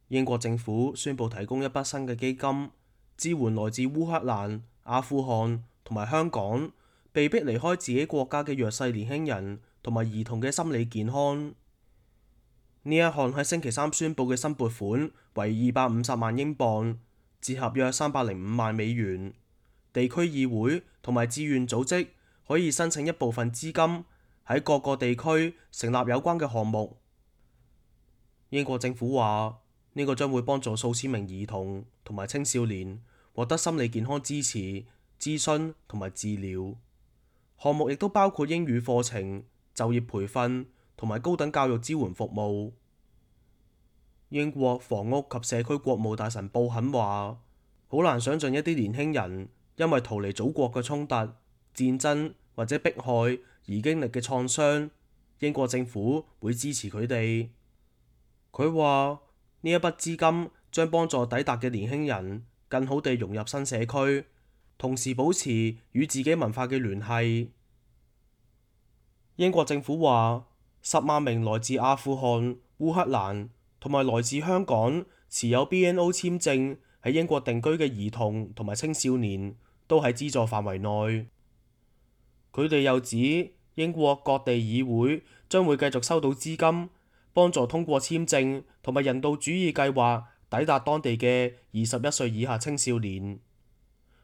英國政府宣布提供一筆新嘅基金，支援來自烏克蘭、阿富汗同埋香港被迫離開自己國家嘅弱勢年輕人同埋兒童嘅心理健康。呢一項喺星期三宣布嘅新撥款為250萬英鎊，折合約305萬美元。地區議會同埋志願組織可以申請一部分資金，喺各個地區成立有關嘅項目。英國政府話，呢個將會幫助數千名兒童同埋青少年獲得心理健康支持、諮詢同埋治療。項目亦都包括英語課程、就業培訓同埋高等教育支援服務。英國房屋及社區國務大臣布肯話，好難想像一啲年輕人因為逃離祖國嘅衝突、戰爭或者迫害而經歷嘅創傷，英國政府會支持佢哋。佢話呢一筆資金將幫助抵達嘅年輕人更好地融入新社區，同時保持與自己文化嘅聯繫。英國政府話，10萬名來自阿富汗、烏克蘭同埋來自香港持有 BNO 簽證喺英國定居嘅兒童同埋青少年都喺資助範圍內。佢哋又指，英國各地議會將會繼續收到資金，幫助通過簽證同埋人道主義計劃抵達當地嘅21歲以下青少年。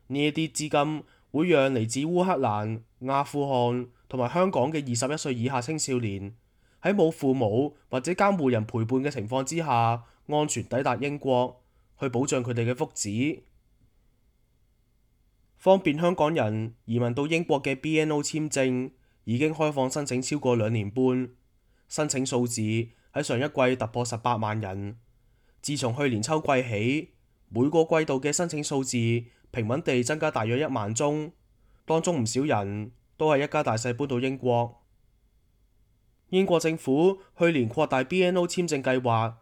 呢一啲資金會讓嚟自烏克蘭、阿富汗同埋香港嘅21歲以下青少年喺冇父母或者監護人陪伴嘅情況之下，安全抵達英國，去保障佢哋嘅福祉。方便香港人移民到英國嘅 BNO 簽證已經開放申請超過2年半，申請數字喺上一季突破18萬人。自從去年秋季起，每個季度嘅申請數字平穩地增加大約1萬宗，當中唔少人都係一家大細搬到英國。英國政府去年擴大 BNO 簽證計劃，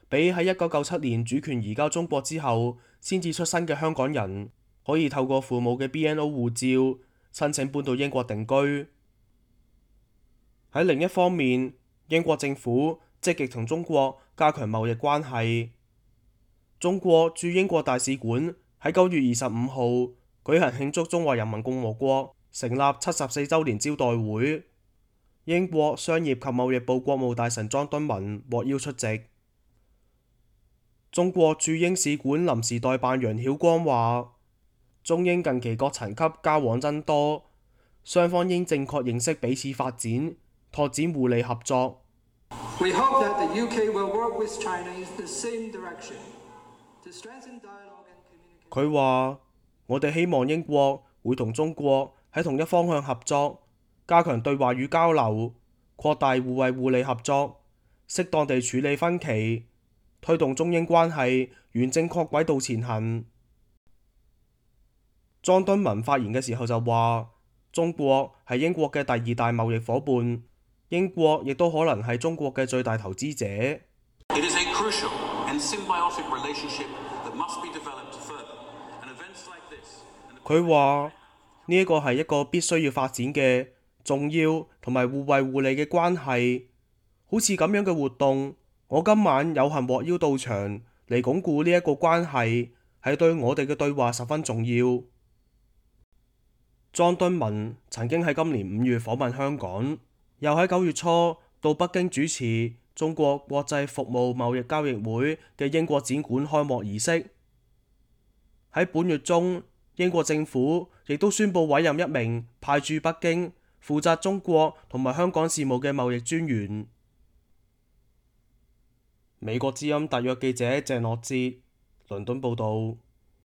俾喺1997年主權移交中國之後先至出生嘅香港人可以透過父母嘅 BNO 護照申請搬到英國定居。喺另一方面，英國政府積極同中國加強貿易關係。中國駐英國大使館喺9月25號舉行慶祝中華人民共和國成立74週年招待會，英國商業及貿易部國務大臣莊敦文獲邀出席。中國駐英使館臨時代辦楊曉光話，中英近期各層級交往增多，雙方應正確認識彼此發展，拓展互利合作。佢話：我哋希望英國會同中國喺同一方向合作，加強對話與交流，擴大互惠互利合作，適當地處理分歧，推動中英關係沿正確軌道前行。莊敦文發言嘅時候就話：中國係英國嘅第2大貿易夥伴，英國亦都可能係中國嘅最大投資者。佢話呢一個係一個必須要發展嘅重要同埋互惠互利嘅關係，好似咁樣嘅活動，我今晚有幸獲邀到場嚟鞏固呢一個關係，係對我哋嘅對話十分重要。莊敦文曾經喺今年5月訪問香港，又喺9月初到北京主持中國國際服務貿易交易會嘅英國展館開幕儀式。喺本月中，英國政府亦都宣布委任一名派駐北京負責中國同埋香港事務嘅貿易專員。美國之音特約記者鄭樂哲，倫敦報導。